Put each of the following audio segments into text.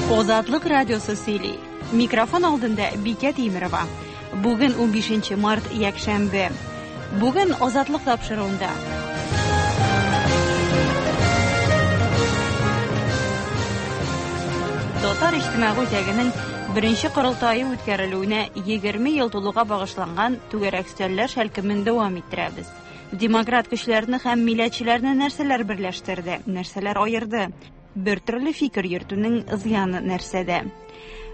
Азатлык радиосы сөйли. Микрофон алдында Бикә Тимерова. Бүген 15 март, якшәмбе. Бүген Азатлык тапшыруында. Татар иҗтимагый үзәгенең беренче корылтае үткәрелүенә 20 ел тулуга багышланган түгәрәк өстәлләр шәлкемен дәвам иттерәбез. Демократ көчләрне һәм милләтчеләрне нәрсәләр берләштерде, нәрсәләр аерды? Бер төрле фикер йөртүнең зыяны нәрсәдә?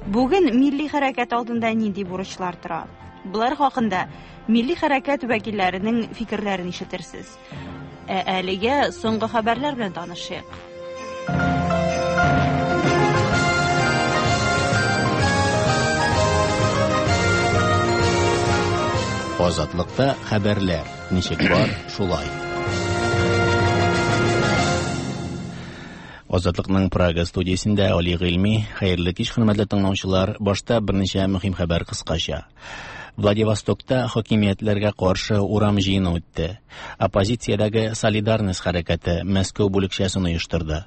Бүген милли хәрәкәт алдында нинди бурычлар тора? Болар хакында милли хәрәкәт вәкилләренең фикерләрен ишетерсез. Ә әлегә соңгы хәбәрләр белән танышыйк. Азатлыкта хәбәрләр ничек бар, шулай. Азатлыкның Прага студиясендә Али Гыйльми. Хәерле кич, хөрмәтле тыңлаучылар. Башта берничә мөһим хәбәр кыскача. Владивостокта хакимиятләргә каршы урам җыены үтте. Оппозициядәге Солидарность хәрәкәте Мәскәү бүлекчәсен оештырды.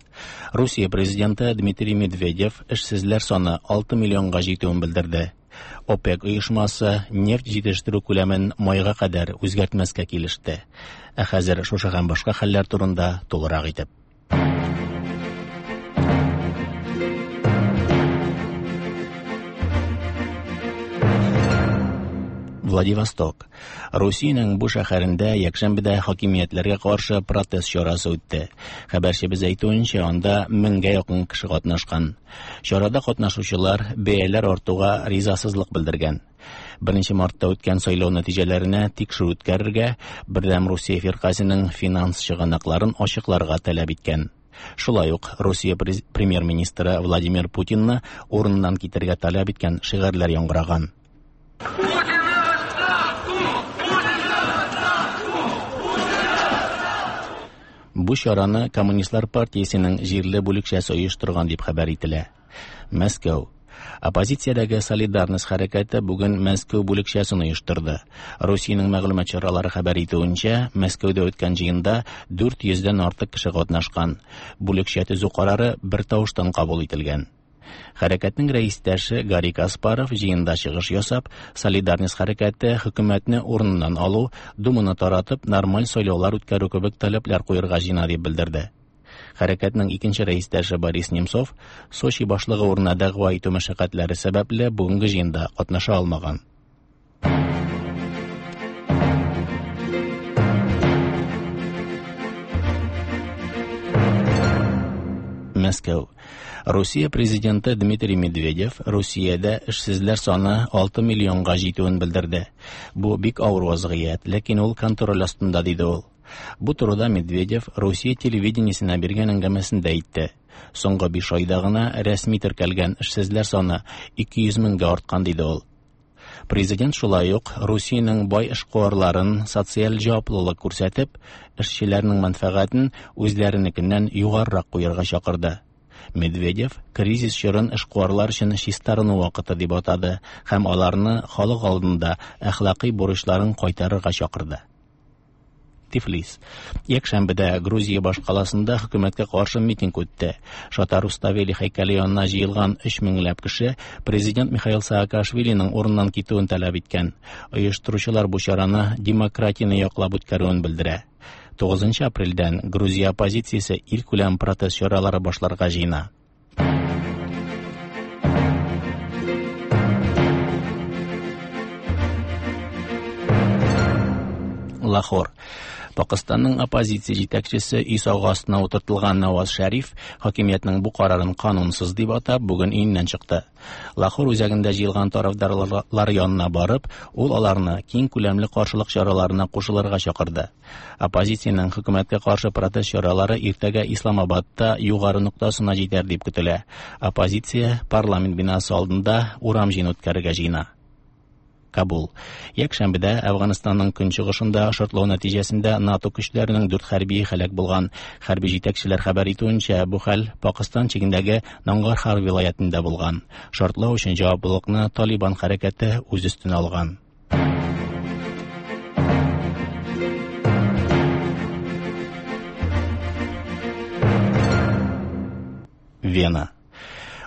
Русия президенты Дмитрий Медведев эшсезләр саны 6 миллионга җитүен белдерде. ОПЕК оешмасы нефть җитештерү күләмен майга кадәр үзгәртмәскә килеште. Ә хәзер шушы һәм башка хәлләр турында тулырак итеп. Владивосток. Русиянең бу шәһәрендә якшәмбедә хакимиятләргә каршы протест чарасы үтте. Хәбәрчебез әйтүенчә, анда меңгә якын кеше катнашкан. Чарада катнашучылар бәяләр артуга ризасызлык белдергән. 1 мартта үткән сайлау нәтиҗәләренә тикшерү үткәрергә, Бердәм Русия фиркасенең финанс чыганакларын ачыкларга таләп иткән. Шулай ук Русия премьер-министры Владимир Путинны урыныннан китәргә таләп иткән шигарьләр яңгыраган. Бу чараны Коммунистлар партиясенең җирле бүлекчәсе оештырган дип хәбәр ителә. Мәскәү. Оппозициядәге Солидарность хәрәкәте бүген Мәскәү бүлекчәсен оештырды. Русиянең мәгълүмат чаралары хәбәр итүенчә, Мәскәүдә үткән җыенда 400 дән артык кеше катнашкан. Бүлекчә төзү карары бер тавыштан кабул ителгән. Хәрәкәтнең рәистәше Гарри Каспаров җыенда чыгыш ясап, Солидарность хәрәкәте хөкүмәтне урыныннан алу, Думаны таратып, нормаль сайлаулар үткәрү кебек таләпләр куерга җыена дип белдерде. Хәрәкәтнең икенче рәистәше Борис Немцов Сочи башлыгы урынына дәгъва итү мәшәкатьләре сәбәпле бүгенге җыенда катнаша алмаган. Мәскәү. Русия президенты Дмитрий Медведев Русиядә эшсезләр саны 6 миллионга җитүен белдерде. Бу бик авыр вазгыять, ләкин ул контроль астында, диде ул. Бу турыда Медведев Русия телевидениесенә биргән әңгәмәсендә әйтте. Соңгы 5 айда гына рәсми теркәлгән эшсезләр саны 200 меңгә арткан, диде ул. Президент шулай ук Русиянең бай эшкуарларын социаль җаваплылык күрсәтеп, эшчеләрнең мәнфәгатен үзләренекеннән югарырак куярга чакырды. Медведев кризис чорын эшкуарлар өчен чистарыну вакыты дип атады һәм аларны халык алдында әхлакый бурычларын кайтарырга чакырды. Тифлис. Якшәмбедә Грузия башкаласында хөкүмәткә каршы митинг үтте. Шата Руставели һәйкәле янына җыелган 3 меңләп кеше президент Михаил Саакашвилиның урыннан китүен таләп иткән. Оештыручылар бу чараны демократияне яклап үткәрүен белдерә. 9 апрельдән Грузия оппозициясе илкүләм протест чаралары башларга җыена. Лахор. Пакыстанның оппозиция җитәкчесе өй сагы астына утыртылган Наваз Шәриф хакимиятнең бу карарын канунсыз дип атап, бүген өеннән чыкты. Лахор үзәгендә җыелган тарафдарлар янына барып, ул аларны киң күләмле каршылык чараларына кушылырга чакырды. Оппозициянең хөкүмәткә каршы протест чаралары иртәгә Исламабадта югары ноктасына җитәр дип көтелә. Оппозиция парламент бинасы алдында урам җыены үткәрергә җыена. Кабул. Якшәмбедә Әфганстанның көнчыгышында шартлау нәтиҗәсендә НАТО көчләренең дүрт хәрбие һәлак булган. Хәрби җитәкчеләр хәбәр итүенчә, бу хәл Пакыстан чигендәге Нангархар вилаятендә булган. Шартлау өчен җаваплылыкны Талибан хәрәкәте үз өстенә алган. Вена.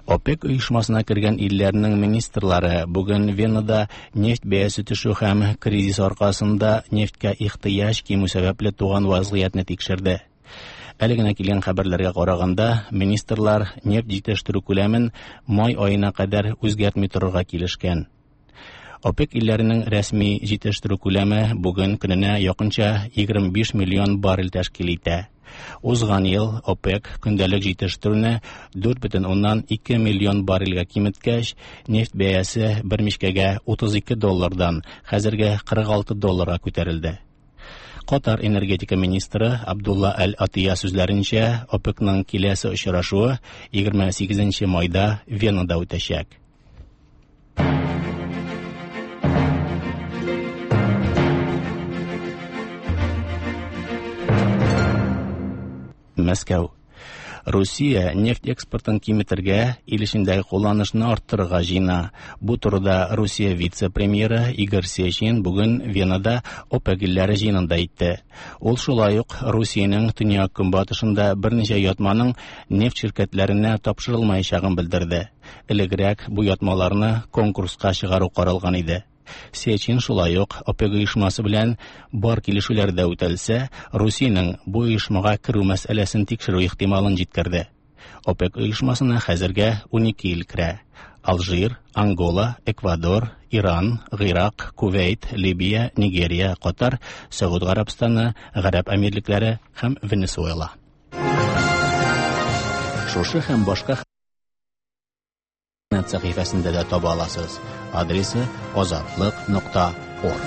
ОПЕК оешмасына кергән илләрнең министрлары бүген Венада нефть бәясе төшү һәм кризис аркасында нефтькә ихтыяҗ кимү сәбәпле туган вазгыятьне тикшерде. Әле генә килгән хәбәрләргә караганда, министрлар нефть җитештерү күләмен май аена кадәр үзгәртми торырга килешкән. ОПЕК илләренең рәсми җитештерү күләме бүген көненә якынча 25 миллион баррель тәшкил итә. Узган ел ОПЕК көндәлек җитештерүне 4,2 миллион баррельгә киметкәч, нефть бәясе бер мичкәгә 32 доллардан хәзергә 46 долларга күтәрелде. Катар энергетика министры Абдулла Әл-Атия сүзләренчә, ОПЕКның киләсе очрашуы 28 майда Венада үтәчәк. Мәскәү. Русия нефть экспортын киметергә, ил эчендәге кулланышны арттырырга җыена. Бу турыда Русия вице-премьеры Игорь Сечин бүген Венада ОПЕК илләре җыенында әйтте. Ул шулай ук Русиянең төньяк көнбатышында берничә ятманың нефть ширкәтләренә тапшырылмаячагын белдерде. Элегрәк бу ятмаларны конкурска чыгару каралган иде. Сечин шулай ук ОПЕК оешмасы белән бар килешүләр дә үтәлсә, Русиянең бу оешмага керү мәсьәләсен тикшерү ихтималын җиткерде. ОПЕК оешмасына хәзергә 12 ил керә. Алжир, Ангола, Эквадор, Иран, Гыйрак, Кувейт, Либия, Нигерия, Катар, Сәгуд Гарәбстаны, Гарәп Әмирлекләре һәм Венесуэла. Шушы һәм башка интернет сәхифәсендә дә таба аласыз. Адресы azatliq.org.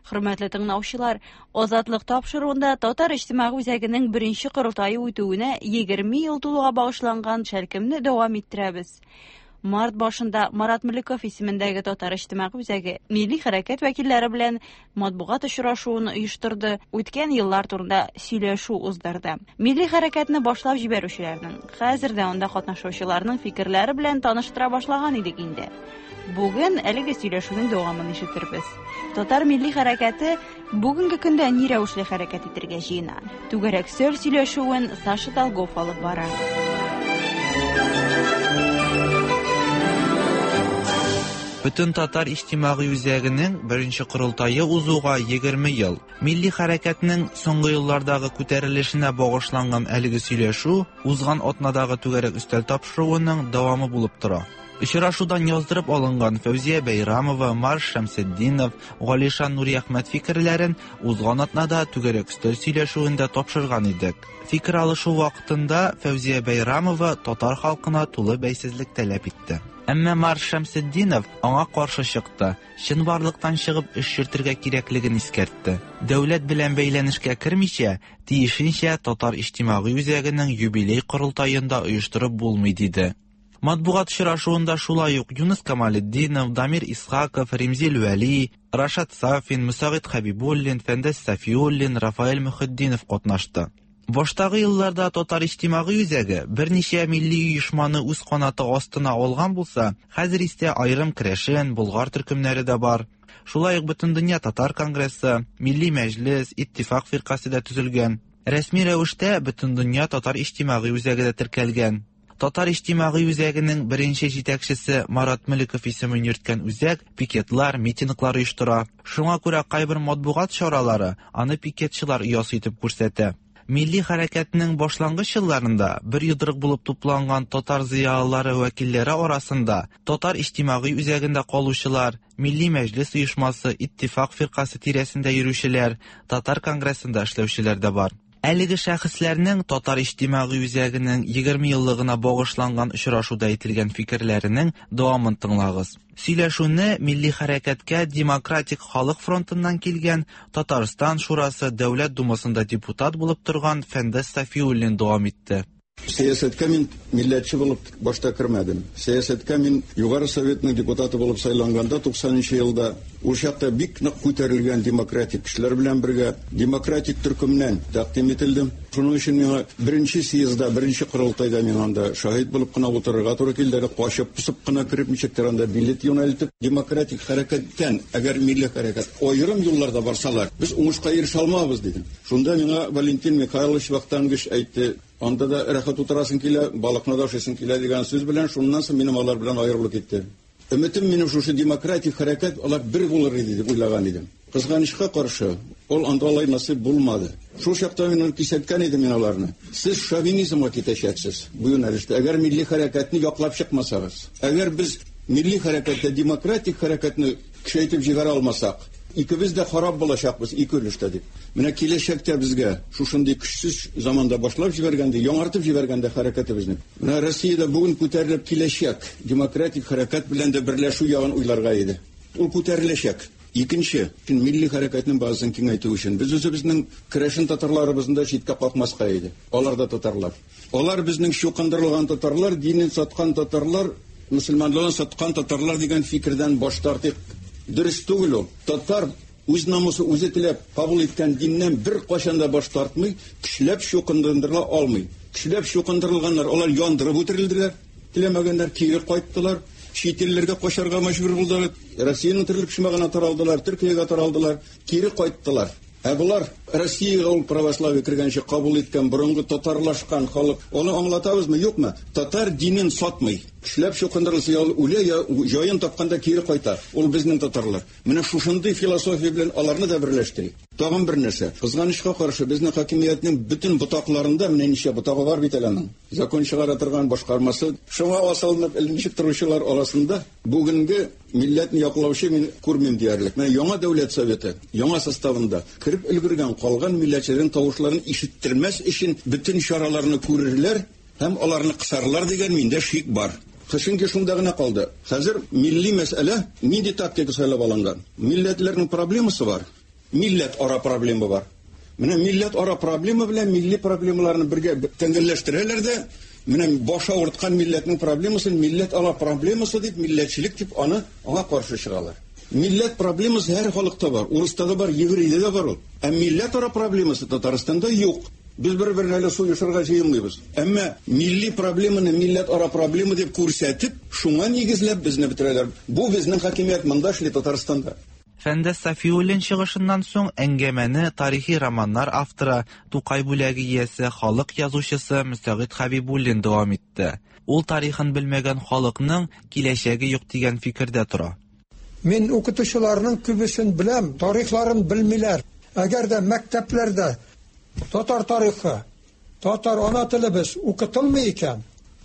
Хөрмәтле тыңлаучылар, Азатлык тапшыруында Татар иҗтимагый үзәгенең беренче корылтае үтүенә 20 ел тулуга багышланган шәлкемне дәвам иттерәбез. Март башында Марат Мөлеков исемендәге Татар иҗтимагый үзәге милли хәрәкәт вәкилләре белән матбугат очрашуын оештырды, үткән еллар турында сөйләшү уздырды. Милли хәрәкәтне башлап җибәрүчеләрнең, хәзер дә анда катнашучыларның фикерләре белән таныштыра башлаган идек инде. Бүген әлеге сөйләшүнең дәвамын ишетербез. Татар милли хәрәкәте бүгенге көндә ни рәвешле хәрәкәт итәргә җыена? Түгәрәк сөйл сөйләшүен Саша Долгов алып бара. Бөтен татар иҗтимагый үзәгенең беренче корылтае узуга 20 ел. Милли хәрәкәтнең соңгы еллардагы күтәрелешенә багышланган әлеге сөйләшү узган атнадагы түгәрәк өстәл тапшыруының дәвамы булып тора. Очрашудан яздырып алынган Фәүзия Бәйрамова, Марш Шәмсетдинов, Галишан Нуриәхмәт фикерләрен узган атнада түгәрәк өстәл сөйләшүендә тапшырган идек. Фикер алышу вакытында Фәүзия Бәйрамова татар халкына тулы бәйсезлек таләп итте. Әмма Марш Шәмсетдинов аңа каршы чыкты, чынбарлыктан чыгып эш йөртергә кирәклеген искәртте. Дәүләт белән бәйләнешкә кермичә, тиешенчә Татар иҗтимагый үзәгенең юбилей корылтаен да оештырып булмый, диде. Матбугат очрашуында шулай ук Юныс Камалетдинов, Дамир Исхаков, Римзил Вәли, Рашат Сафин, Мөсәгыйть Хәбибуллин, Фәндәс Сафиуллин, Рафаэль Мөхетдинов катнашты. Баштагы елларда Татар иҗтимагый үзәге берничә милли оешманы үз канаты астына алган булса, хәзер исә аерым керәшен, болгар төркемнәре дә бар. Шулай ук Бөтендөнья татар конгрессы, Милли мәҗлес, Иттифак фиркасе дә төзелгән. Рәсми рәвештә Бөтендөнья татар иҗтимагый үзәге дә теркәлгән. Татар иҗтимагый үзәгенең беренче җитәкчесе Марат Мөлеков исемен йөрткән үзәк пикетлар, митинглар оештыра. Шуңа күрә кайбер матбугат чаралары аны пикетчылар оясы итеп күрсәтә. Милли хәрәкәтнең башлангыч елларында бер йодрык булып тупланган татар зыялылары вәкилләре арасында Татар иҗтимагый үзәгендә калучылар, Милли мәҗлес оешмасы, Иттифак фиркасе тирәсендә йөрүчеләр, Татар конгрессында эшләүчеләр дә бар. Әлеге шәхесләрнең Татар иҗтимагый үзәгенең 20 еллыгына багышланган очрашуда әйтелгән фикерләренең дәвамын тыңлагыз. Сөйләшүне милли хәрәкәткә Демократик халык фронтыннан килгән Татарстан Шурасы Дәүләт Думасында депутат булып торган Фәндәс Сафиуллин дәвам итте. Сәясәткә мин милләтче булып башта кермәдем. Сәясәткә мин Югары Советның депутаты булып сайланганда 90 елда ул чакта бик нык күтәрелгән демократик кешеләр белән бергә демократик төркемнән тәкъдим ителдем. Шуның өчен миңа беренче съездда, беренче корылтайда мин анда шаһит булып кына утырырга туры килде. Әле качып пысып кына кереп ничектер анда билет юнәлтеп, демократик хәрәкәттән, әгәр милли хәрәкәт аерым юлларда барсалар, без уңышка ирешә алмабыз дидем. Шунда миңа Валентин Михайлович Вахтангович әйтте: Анда да рәхәт утырасың килә, балыкны да ашыйсың килә дигән сүз белән шуннан соң минем алар белән аерылып китте. Өметем минем шушы демократик хәрәкәт алар бер булыр иде дип уйлаган идем. Кызганычка каршы, ул анда алай насыйп булмады. Шул чакта мин кисәткән идем мин аларны. Сез шовинизмга китәчәксез бу юнәлештә. Әгәр милли хәрәкәтне яклап чыкмасагыз, әгәр без милли хәрәкәттә демократик хәрәкәтне көчәйтеп җибәрә алмасак, икебез дә харап булачакбыз ике өлештә дип. Менә киләчәктә безгә шушындый көчсез заманда башлап җибәргәндә, яңартып җибәргәндә хәрәкәтебезне. Менә Россиядә бүген күтәрелеп киләчәк демократик хәрәкәт белән дә берләшү ягын уйларга иде. Ул күтәреләчәк. Икенче, милли хәрәкәтнең базасын киңәйтү өчен без үзебезнең керәшен татарларыбызны да читкә какмаска иде. Алар да татарлар. Алар безнең чукындырылган татарлар, динен саткан татарлар, мөселманлыгын саткан татарлар дигән фикердән баш тартыйк. Дөрес түгел ул. Татар үз намусы үзе теләп кабул иткән диннән бер кайчан да баш тартмый, көчләп чукындырыла алмый. Көчләп чукындырылганнар, алар яндырып үтерелделәр. Теләмәгәннәр кире кайттылар. Чит илләргә качарга мәҗбүр булдылар. Россиянең төрле почмагына таралдылар, Төркиягә таралдылар, кире кайттылар. Ә болар Россиягә ул православие кергәнче кабул иткән борынгы татарлашкан халык. Аны аңлатабызмы, юкмы? Татар динен сатмый. Көчләп чукындырылса, я ул үлә, я җаен тапканда кире кайта. Ул безнең татарлар. Менә шушындый философия белән аларны да берләштерик. Тагын бер нәрсә. Кызганычка каршы, безнең хакимиятнең бөтен ботакларында, менә ничә ботагы бар бит әле аның. Закон чыгара торган башкармасы, шуңа асылынып эленеп торучылар арасында бүгенге милләтне яклаучы мин күрмим диярлек. Менә яңа дәүләт советы, яңа составында кереп өлгергән калган милләтчеләрнең тавышларын ишеттермәс өчен бөтен чараларны күрерләр һәм аларны кысарлар дигән миндә шик бар. Чөнки шунда гына калды. Хәзер милли мәсьәлә нинди тактика сайлап алынган? Милләтләрнең проблемасы бар, милләт ара проблема бар. Менә милләт ара проблема белән милли проблемаларны бергә тәңгәлләштерәләр дә, менә баш авырткан милләтнең проблемасын милләт ара проблемасы дип, милләтчелек дип аны аңа каршы чыгалар. Милләт проблемасы һәр халыкта бар, урыста да бар, еврейдә дә бар ул. Ә милләт ара проблемасы Татарстанда юк. Без бер-берне әле суешырга җыенмыйбыз. Әмма милли проблеманы милләт ара проблема дип күрсәтеп, шуңа нигезләп безне бетерәләр. Бу безнең хакимият монда эшли Татарстанда. Фәндәс Сафиуллин чыгышыннан соң әңгәмәне тарихи романнар авторы, Тукай бүләге иясе, халык язучысы Мөсәгыйть Хәбибуллин дәвам итте. Ул тарихын белмәгән халыкның киләчәге юк дигән фикердә тора. Мин укытучыларның күбесен беләм, тарихларын белмиләр. Әгәр дә мәктәпләрдә татар тарихы, татар ана телебез укытылмый икән,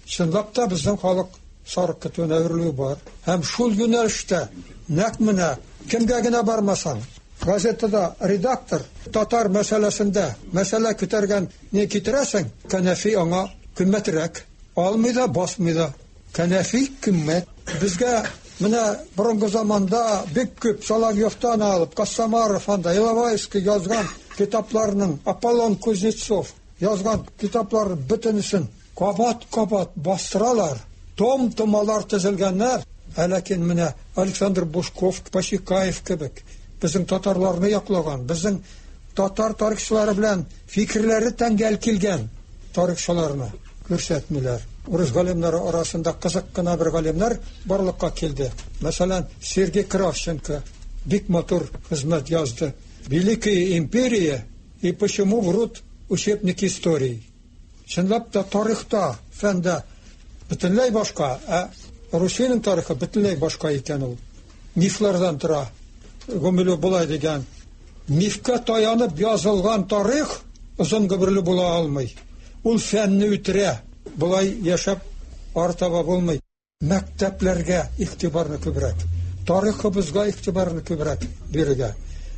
чынлап та безнең халык сарык көтүенә әверелүе бар. Һәм шул юнәлештә нәкъ менә кемгә генә бармасаң, газетада редактор татар мәсьәләсендә мәсьәлә күтәргән не китерәсең, кәнәфи аңа кыйммәтрәк. Алмый да, басмый да. Кәнәфи кыйммәт. Безгә менә борынгы заманда бик күп Соловьевтан алып, Костомаров анда, Иловайский язган китапларның, Аполлон Кузнецов язган китаплар бөтенесен кабат-кабат бастыралар. Том-томалар төзелгәннәр. Ә ләкин менә Александр Бушков, Пасикаев кебек безнең татарларны яклаган, безнең татар тарихчылары белән фикерләре тәңгәл килгән тарихчыларны күрсәтмиләр. Урыс галимнәре арасында кызык кына бер галимнәр барлыкка килде. Мәсәлән, Сергей Кравченко бик матур хезмәт язды. Великая империя и почему врут учебники истории. Чынлап та тарихта, фәндә бөтенләй башка, ә Русиянең тарихы бөтенләй башка икән ул. Мифлардан тора. Гумилев болай дигән: мифкә таянып язылган тарих озын гомерле була алмый. Ул фәнне үтерә. Болай яшәп артаба булмый. Мәктәпләргә игътибарны күбрәк, тарихыбызга игътибарны күбрәк бирергә.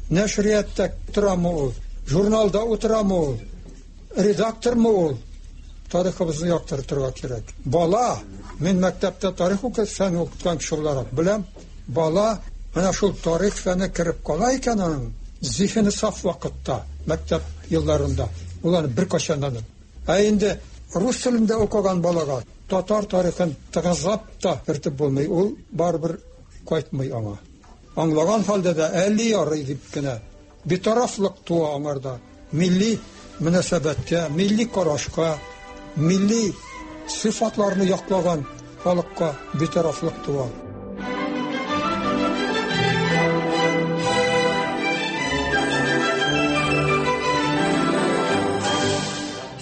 Нәшриятта торамы ул, журналда утырамы ул, редактормы ул, тарихыбызны яктыртырга кирәк. Бала, мин мәктәптә тарих укыт, фән укыткан кеше буларак беләм, бала менә шул тарих фәне кереп кала икән аның зиһене саф вакытта, мәктәп елларында, ул аны беркайчан да. Ә инде рус телендә укыган балага татар тарихын тыгызлап та кертеп булмый, ул барыбер кайтмый аңа. Аңлаган хәлдә дә әле ярый дип кенә битарафлык туа аңарда. Милли мөнәсәбәткә, милли карашка, милли сыйфатларны яклаган халыкка битарафлык туа.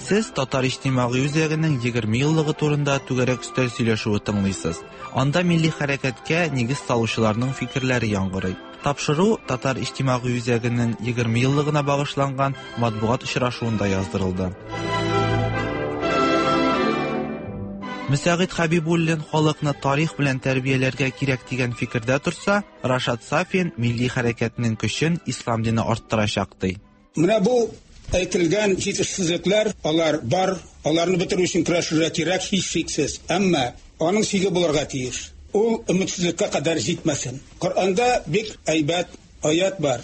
Сез Татар иҗтимагый үзәгенең 20 еллыгы турында түгәрәк өстәл сөйләшүе тыңлыйсыз. Анда милли хәрәкәткә нигез салучыларның фикерләре яңгырый. Тапшыру Татар иҗтимагый үзәгенең 20 еллыгына багышланган матбугат очрашуында яздырылды. Мөсәгыйть Хәбибуллин халыкны тарих белән тәрбияләргә кирәк дигән фикердә торса, Рашат Сафин милли хәрәкәтнең көчен ислам дине арттырачак ди. Менә бу әйтелгән җитешсезлекләр, алар бар, аларны бетерү өчен көрәшергә кирәк, һичшиксез. Әмма аның чиге булырга тиеш. Ул өметсезлеккә кадәр җитмәсен. Коръәндә бик әйбәт аят бар.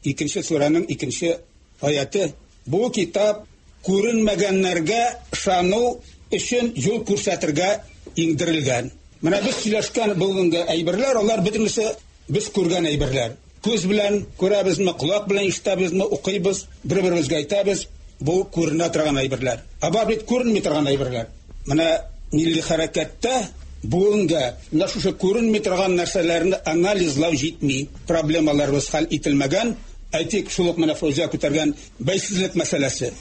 Икенче сүрәнең икенче аяты. Бу китап күренмәгәннәргә ышану өчен юл күрсәтергә иңдерелгән. Менә без сөйләшкән бүгенге әйберләр, алар бөтенесе без күргән әйберләр. Күз белән күрәбезме, колак белән ишетәбезме, укыйбыз, бер-беребезгә әйтәбез, бу күренә торган әйберләр. Ә бар бит күренми торган әйберләр. Менә милли хәрәкәттә бүгенгә менә шушы күренми торган нәрсәләрне анализлау җитми. Проблемаларыбыз хәл ителмәгән. Әйтик, шул ук менә Фәүзия күтәргән бәйсезлек мәсьәләсе.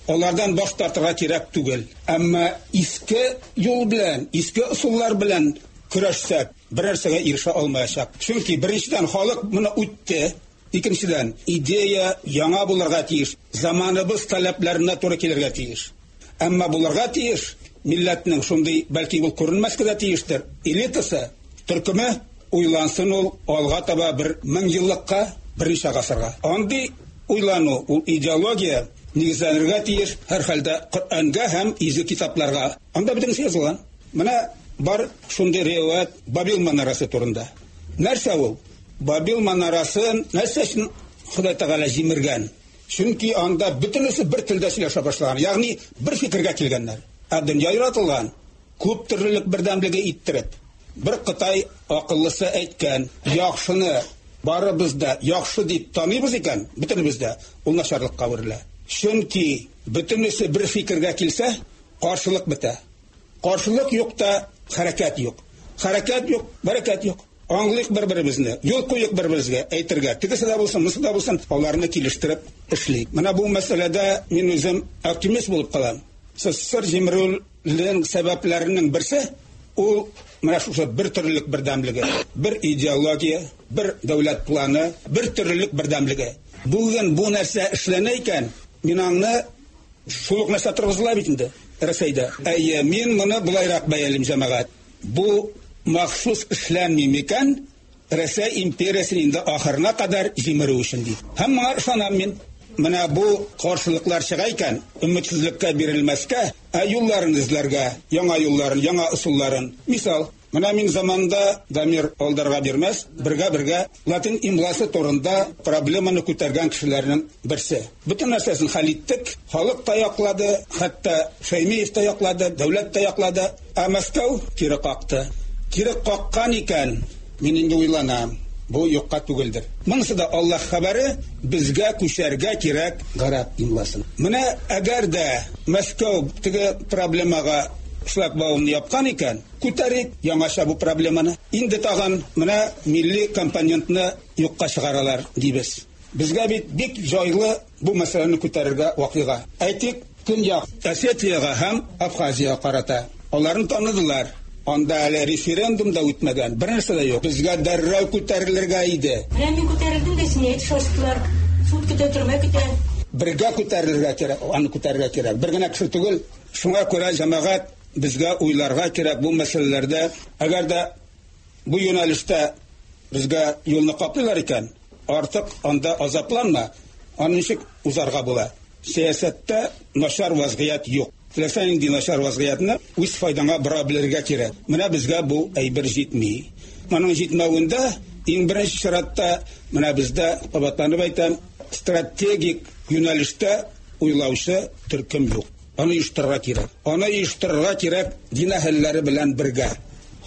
Алардан баш тартырга кирәк түгел. Әмма иске юл белән, иске ысуллар белән көрәшсәк, бер нәрсәгә ирешә алмаячак. Чөнки беренчедән халык моны үтте, икенчедән идея яңа булырга тиеш, заманыбыз таләпләренә туры килергә тиеш. Әмма булырга тиеш милләтнең шундый, бәлки ул күренмәскә дә тиештер, элитасы, төркеме уйлансын ул алга таба бер мең еллыкка, берничә гасырга. Андый уйлану, ул идеология нигезләнергә тиеш һәрхәлдә Коръәнгә һәм изге китапларга. Анда бөтенесе язылган. Менә бар шундый риваять Бабил манарасы турында. Нәрсә ул? Бабил манарасын нәрсә өчен Ходай Тәгалә җимергән? Чөнки анда бөтенесе бер телдә сөйләшә башлаган, ягъни бер фикергә килгәннәр. Ә дөнья яратылган күп төрлелек бердәмлеге иттереп. Бер Кытай акыллысы әйткән, яхшыны барыбыз да яхшы дип таныйбыз икән, бөтенебез дә ул начарлыкка әверелә. Чөнки бөтенесе бер фикергә килсә, каршылык бетә. Каршылык юк та хәрәкәт юк. Хәрәкәт юк, бәрәкәт юк. Аңлыйк бер-беребезне, юл куйык бер-беребезгә, әйтергә. Тегесе дә булсын, монысы да булсын, аларны килештереп эшлик. Менә бу мәсьәләдә мин үзем оптимист булып калам. СССР җимерүнең сәбәпләренең берсе ул менә шушы бер төрлелек бердәмлеге, бер идеология, бер дәүләт планы, бер төрлелек бердәмлеге. Бүген бу нәрсә эшләнә икән, мин аңны шул ук нәрсә торгызыла бит инде Рәсәйдә. Әйе, мин моны болайрак бәялим, җәмәгать. Бу махсус эшләнми микән, Рәсәй империясен инде ахырына кадәр җимерү өчен дип. Һәм моңа ышанам мин. Менә бу каршылыклар чыга икән, өметсезлеккә бирелмәскә, ә юлларын эзләргә, яңа юлларын, яңа ысулларын. Мисал, менә мин заманында Дамир алдарга бирмәс, бергә-бергә латин имласы турында проблеманы күтәргән кешеләрнең берсе. Бөтен нәрсәсен хәл иттек, халык та яклады, хәтта Шәймиев та яклады, дәүләт тә яклады, ә Мәскәү кире какты. Кире каккан икән, мин инде уйланам, бу юкка түгелдер. Монысы да Аллаһ хәбәре, безгә күчәргә кирәк гарәп имласын. Менә әгәр дә Мәскәү теге проблемага шлагбаумны япкан икән, күтәрик яңача бу проблеманы. Инде тагын менә милли компонентны юкка чыгаралар дибез. Безгә бит бик җайлы бу мәсьәләне күтәрергә вакыйга. Әйтик, Көньяк Осетиягә һәм Абхазиягә карата. Аларны таныдылар. Анда әле референдум да үтмәгән, бер нәрсә дә юк. Безгә дәррәү күтәрелергә иде. Менә мин күтәрелдем дә, сине әйтеп шаштылар. Суд көтә, төрмә көтә. Бергә күтәрелергә кирәк, аны күтәрергә кирәк. Бер генә кеше түгел. Шуңа күрә җәмәгать безгә уйларга кирәк бу мәсьәләләрдә. Әгәр дә бу юнәлештә безгә юлны каплыйлар икән, артык анда азапланма, аны ничек узарга була? Сәясәттә начар вазгыять юк. Теләсә нинди начар вазгыятьне үз файдаңа бора белергә кирәк. Менә безгә бу әйбер җитми. Моның җитмәвендә иң беренче чиратта менә бездә, кабатланып әйтәм, стратегик юнәлештә уйлаучы төркем юк. Аны оештырырга кирәк. Аны оештырырга кирәк дин әһелләре белән бергә.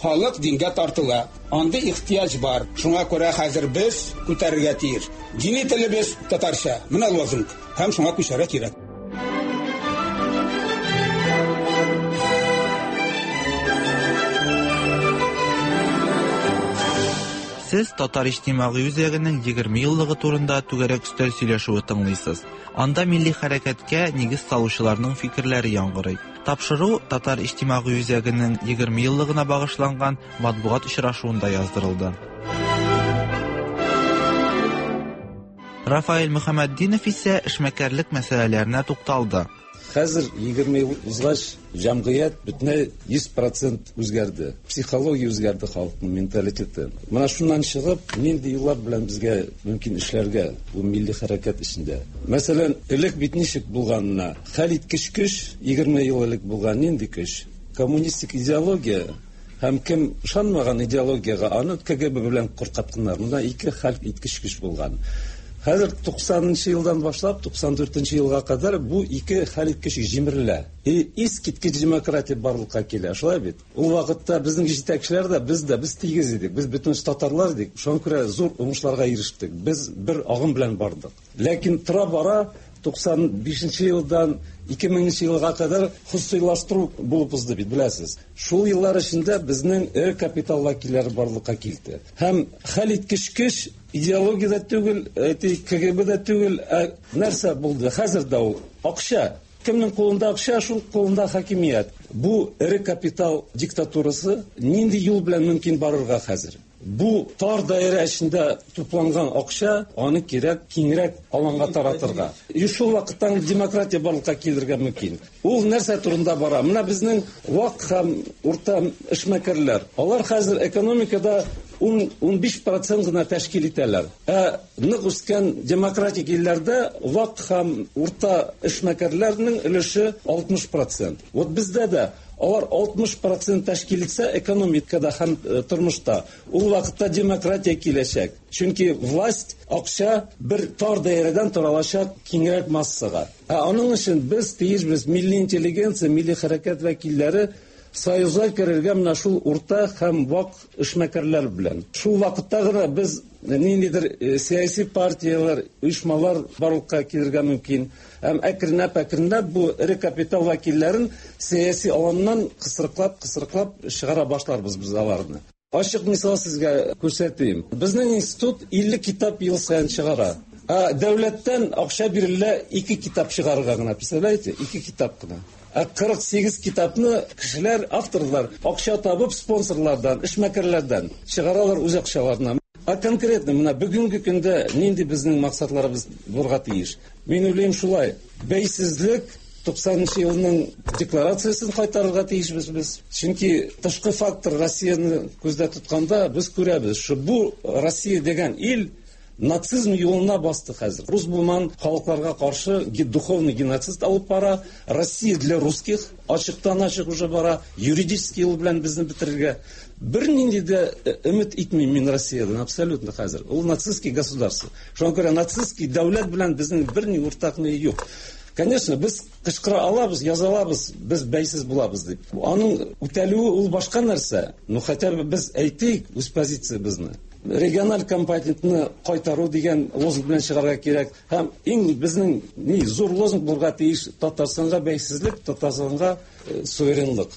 Халык дингә тартыла. Андый ихтыяҗ бар. Шуңа күрә хәзер без күтәрергә тиеш. Дини телебез татарча. Менә лозунг. Һәм шуңа күчәргә кирәк. Сез Татар иҗтимагый үзәгенең 20 еллыгы турында түгәрәк өстәл сөйләшүе тыңлыйсыз. Анда милли хәрәкәткә нигез салучыларның фикерләре яңгырый. Тапшыру Татар иҗтимагый үзәгенең 20 еллыгына багышланган матбугат очрашуында яздырылды. Рафаэль Мөхәммәтдинов исә эшмәкәрлек мәсьәләләренә тукталды. Хәзер 20 ел узгач, җәмгыять бөтенләй 100% үзгәрде. Психология үзгәрде, халыкның менталитеты. Менә шуннан чыгып, нинди юллар белән безгә мөмкин эшләргә бу милли хәрәкәт эчендә? Мәсәлән, элек бит ничек булганына, хәлиткеч көч 20 ел элек булган нинди көч? Коммунистик идеология һәм кем ышанмаган идеологиягә, аны КГБ белән куркытканнар. Монда ике хәл иткеч көч булган. Хәзер 90 елдан башлап 94 елга кадәр бу ике хәл иткеч җимерелә. И искиткеч демократия барлыкка килә. Шулай бит? Ул вакытта безнең җитәкчеләр дә, без дә, без тигез идек. Без бөтен татарлар идек. Шуңа күрә зур уңышларга ирештек. Без бер агым белән бардык. Ләкин тора-бара 95 елдан 2000 елга кадәр хосусыйлаштыру булып узды бит, беләсез. Шул еллар эчендә безнең эре капитал вәкилләре барлыкка килде. Һәм хәл иткеч көч идеология дә түгел, әйтик, КГБ дә түгел, ә нәрсә булды? Хәзер дә ул акча. Кемнең кулында акча, шул кулында хакимият. Бу эре капитал диктатурасы нинди юл белән мөмкин барырга хәзер? Бу тар даирә эчендә тупланган акча, аны кирәк киңрәк аланга таратырга. И шул вакыттан демократия барлыкка килергә мөмкин. Ул нәрсә турында бара? Менә безнең вак һәм урта эшмәкәрләр. Алар хәзер экономикада 10-15% гына тәшкил итәләр. Ә нык үскән демократик илләрдә вак һәм урта эшмәкәрләрнең өлеше 60%. Вот бездә дә алар 60% тәшкил итсә экономикада һәм тормышта, ул вакытта демократия киләчәк. Чөнки власть, акча бер тар даирәдән таралачак киңрәк массага. Ә аның өчен без тиешбез милли интеллигенция, милли хәрәкәт вәкилләре союзга керергә менә шул урта һәм вак эшмәкәрләр белән. Шул вакытта гына без ниндидер сәяси партияләр, оешмалар барлыкка килергә мөмкин. Һәм әкренләп-әкренләп бу эре капитал вәкилләрен сәяси аланнан кысрыклап-кысрыклап чыгара башларбыз без аларны. Ачык мисал сезгә күрсәтим. Безнең институт 50 китап ел саен чыгара. Ә дәүләттән акча бирелә 2 китап чыгарырга гына, представляете? 2 китап кына. Ә 48 китапны кешеләр, авторлар акча табып спонсорлардан, эшмәкәрләрдән чыгаралар үз акчаларына. Ә конкретно менә бүгенге көндә нинди безнең максатларыбыз булырга тиеш? Мин уйлыйм шулай. Бәйсезлек 90 елның декларациясен кайтарырга тиешбез без. Чөнки тышкы фактор Россияне күздә тотканда без күрәбез, что бу Россия дигән ил нацизм юлына басты хәзер. Рус булман халыкларга каршы духовный геноцид алып бара. Россия для русских ачыктан ачык уже бара. Юридический юл белән безне бетерергә. Бернинди дә өмет итмим мин Россиядән абсолютно хәзер. Ул нацистский государство. Шуңа күрә нацистский дәүләт белән безнең берни уртак ни юк. Конечно, без кычкыра алабыз, яза алабыз, без бәйсез булабыз дип. Аның үтәлүе ул башка нәрсә. Но хотя бы без әйтик үз позициябезне. Региональ компонентны кайтару дигән лозунг белән чыгарга кирәк. Һәм иң безнең ни зур лозунг булырга тиеш Татарстанга бәйсезлек, Татарстанга суверенлык.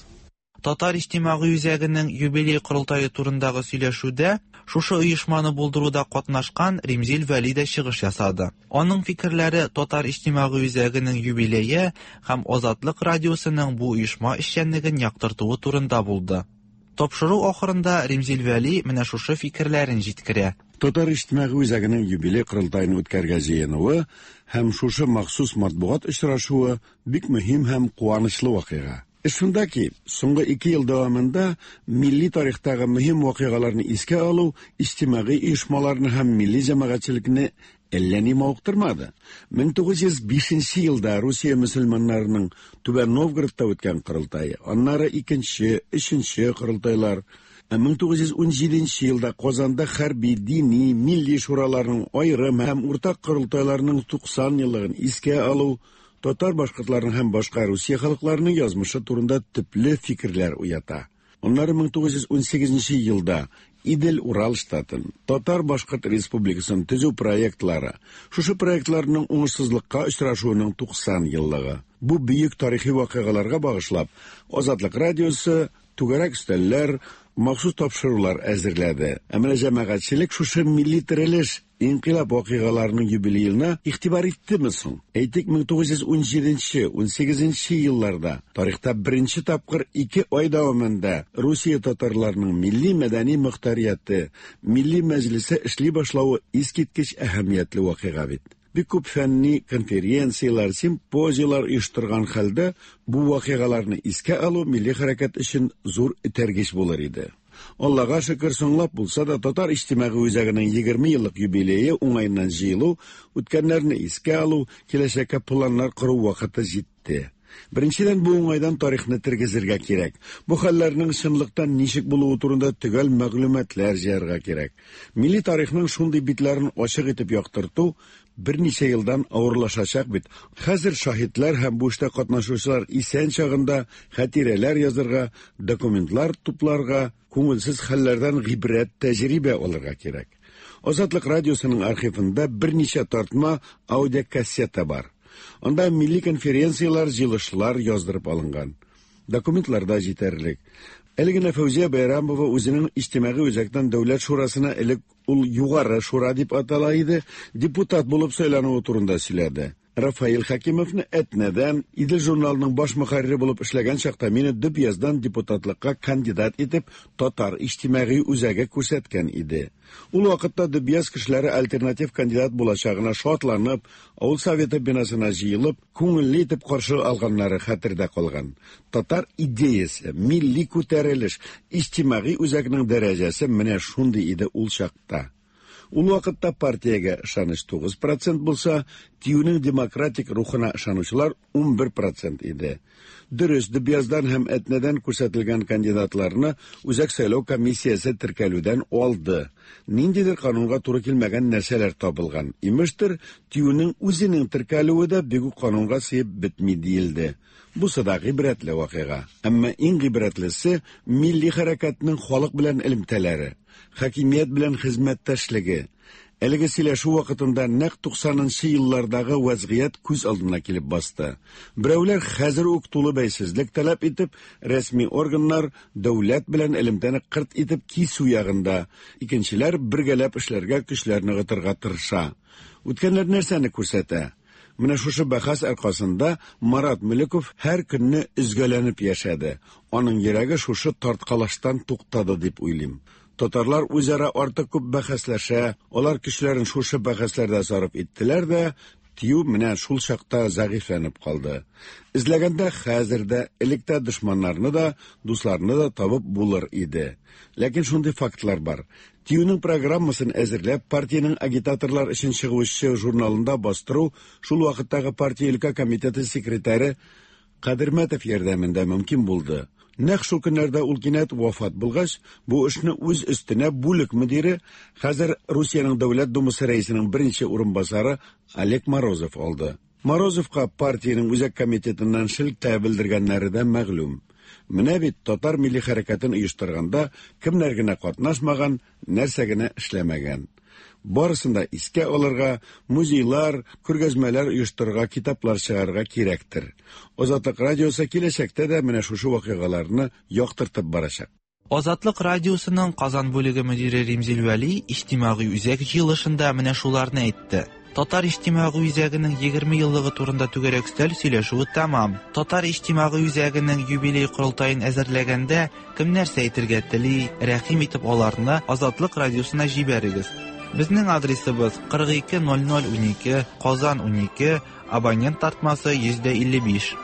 Татар иҗтимагый үзәгенең юбилей корылтае турындагы сөйләшүдә шушы оешманы булдыруда катнашкан Римзил Вәли дә чыгыш ясады. Аның фикерләре Татар иҗтимагый үзәгенең юбилее һәм Азатлык радиосының бу оешма эшчәнлеген яктыртуы турында булды. Тапшыру ахырында Римзил Вәли менә шушы фикерләрен җиткерә. Татар иҗтимагый үзәгенең юбилей корылтаен үткәрергә җыенуы һәм шушы махсус матбугат очрашуы бик мөһим һәм куанычлы вакыйга. Эш шунда ки, соңгы 2 ел дәвамында милли тарихтагы мөһим вакыйгаларны искә алу иҗтимагый оешмаларны һәм милли җәмәгатьчелекне әллә ни мавыктырмады. 1905 елда Русия мөселманнарының Түбән Новгородта үткән корылтае, аннары икенче, өченче корылтайлар, 1917 елда Казанда хәрби, дини, милли шураларның аерым һәм уртак корылтайларының 90 еллыгын искә алу, татар башкортларының һәм башка Русия халыкларының язмышы турында төпле фикерләр уята. Аннары 1918 елда Идел-Урал штатын, Татар-Башкорт республикасын төзү проектлары, шушы проектларның уңышсызлыкка очрашуының 90 еллыгы. Бу бөек тарихи вакыйгаларга багышлап, Азатлык радиосы, түгәрәк өстәлләр, махсус тапшырулар әзерләде. Ә менә җәмәгатьчелек шушы милли терелеш, инкыйлаб вакыйгаларының юбилеена игътибар иттеме соң? Әйтик, 1917-18 елларда тарихта беренче тапкыр 2 ай дәвамында Русия татарларының милли мәдәни мохтарияте, милли мәҗлесе эшли башлавы искиткеч әһәмиятле вакыйга бит. Бик күп фәнни конференцияләр, симпозияләр оештырган хәлдә бу вакыйгаларны искә алу милли хәрәкәт өчен зур этәргеч булыр иде. Аллага шөкер, соңлап булса да Татар иҗтимагый үзәгенең 20 еллык юбилее уңаеннан җыелу, үткәннәрне искә алу, киләчәккә планнар кору вакыты җитте. Беренчедән, бу уңайдан тарихны тергезергә кирәк. Бу хәлләрнең чынлыкта ничек булуы турында төгәл мәгълүматлар җыярга кирәк. Милли тарихның шундый битләрен ачык итеп яктырту берничә елдан авырлашачак бит. Хәзер шаһитлар һәм бу эштә катнашучылар исән чагында хатирәләр язырга, документлар тупларга, күңелсез хәлләрдән гыйбрәт, тәҗрибә алырга кирәк. Азатлык радиосының архивында берничә тартма аудиокассета бар. Анда милли конференцияләр, җыелышлар яздырып алынган. Документлар да җитәрлек. Әле генә Фәүзия Байрамова үзенең иҗтимагый үзәктән Дәүләт шурасына элек ул Югары шура дип атала иде, депутат булып сайлануы турында сөйләде. Рафаил Хәкимовны Әтнәдән, Идел журналының баш мөхәррире булып эшләгән чакта мине Дөбъяздан депутатлыкка кандидат итеп Татар иҗтимагый үзәге күрсәткән иде. Ул вакытта Дөбъяз кешеләре альтернатив кандидат булачагына шатланып, авыл советы бинасына җыелып, күңелле итеп каршы алганнары хәтердә калган. Татар идеясе, милли күтәрелеш, иҗтимагый үзәкнең дәрәҗәсе менә шундый иде ул чакта. Ул вакытта партиягә ышаныч 9% булса, ТИҮнең демократик рухына ышанучылар 11% иде. Дөрес, Дөбъяздан һәм Әтнәдән күрсәтелгән кандидатларны Үзәк сайлау комиссиясе теркәлүдән алды. Ниндидер канунга туры килмәгән нәрсәләр табылган. Имештер, ТИҮнең үзенең теркәлүе дә бик үк канунга сыеп бетми диелде. Бусы да гыйбрәтле вакыйга. Әмма иң гыйбрәтлесе милли хәрәкәтнең халык белән элемтәләре, хакимият белән хезмәттәшлеге. Әлеге сөйләшү вакытында нәкъ 90нчы еллардагы вазгыять күз алдына килеп басты. Берәүләр хәзер үк тулы бәйсезлек таләп итеп, рәсми органнар дәүләт белән элемтәне кырт итеп кисү ягында, икенчеләр бергәләп эшләргә көчләр ныгытырга тырыша. Үткәннәр нәрсәне күрсәтә? Менә шушы бәхәс аркасында Марат Мөлеков һәр көнне өзгәләнеп яшәде. Аның йөрәге шушы тарткалаштан туктады дип уйлыйм. Татарлар үзара артык күп бәхәсләшә, алар көчләрен шушы бәхәсләрдә сарыф иттеләр дә, ТИҮ менә шул чакта зәгыйфьләнеп калды. Эзләгәндә хәзер дә, элек тә дошманнарны да, дусларны да табып булыр иде. Ләкин шундый фактлар бар. ТИҮнең программасын әзерләп, партиянең агитаторлар өчен чыгучы журналында бастыру шул вакыттагы партия өлкә комитеты секретаре Кадермәтов ярдәмендә мөмкин булды. Нәкъ шул көннәрдә ул кинәт вафат булгач, бу эшне үз өстенә бүлек мөдире, хәзер Русиянең Дәүләт Думасы рәисенең беренче урынбасары Олег Морозов алды. Морозовка партиянең үзәк комитетыннан шелтә белдергәннәре дә мәгълүм. Менә бит татар милли хәрәкәтен оештырганда кемнәр генә катнашмаган, нәрсә генә эшләмәгән. Барысын да искә алырга, музейлар, күргәзмәләр оештырырга, китаплар чыгарырга кирәктер. Азатлык радиосы киләчәктә дә менә шушы вакыйгаларны яктыртып барачак. Азатлык радиосының Казан бүлеге мөдире Римзил Вәли иҗтимагый үзәк җыелышында менә шуларны әйтте. Татар иҗтимагый үзәгенең 20 еллыгы турында түгәрәк өстәл сөйләшүе тәмам. Татар иҗтимагый үзәгенең юбилей корылтаен әзерләгәндә кем нәрсә әйтергә тели, рәхим итеп аларны Азатлык радиосына җибәрегез. Безнең адресыбыз 420012, Казан 12, абонент тартмасы 155.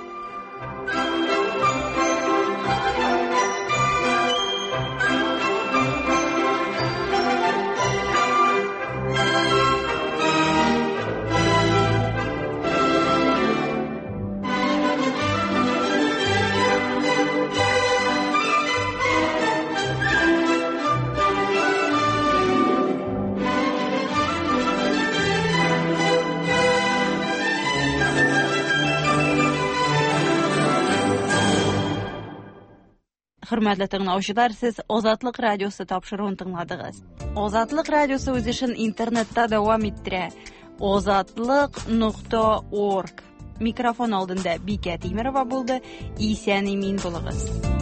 Хөрмәтле тыңлаучылар, сез Азатлык радиосы тапшыруын тыңладыгыз. Азатлык радиосы үз эшен интернетта дәвам иттерә. Азатлык.орг. Микрофон алдында Бикә Тимерова булды. Исән имин булыгыз.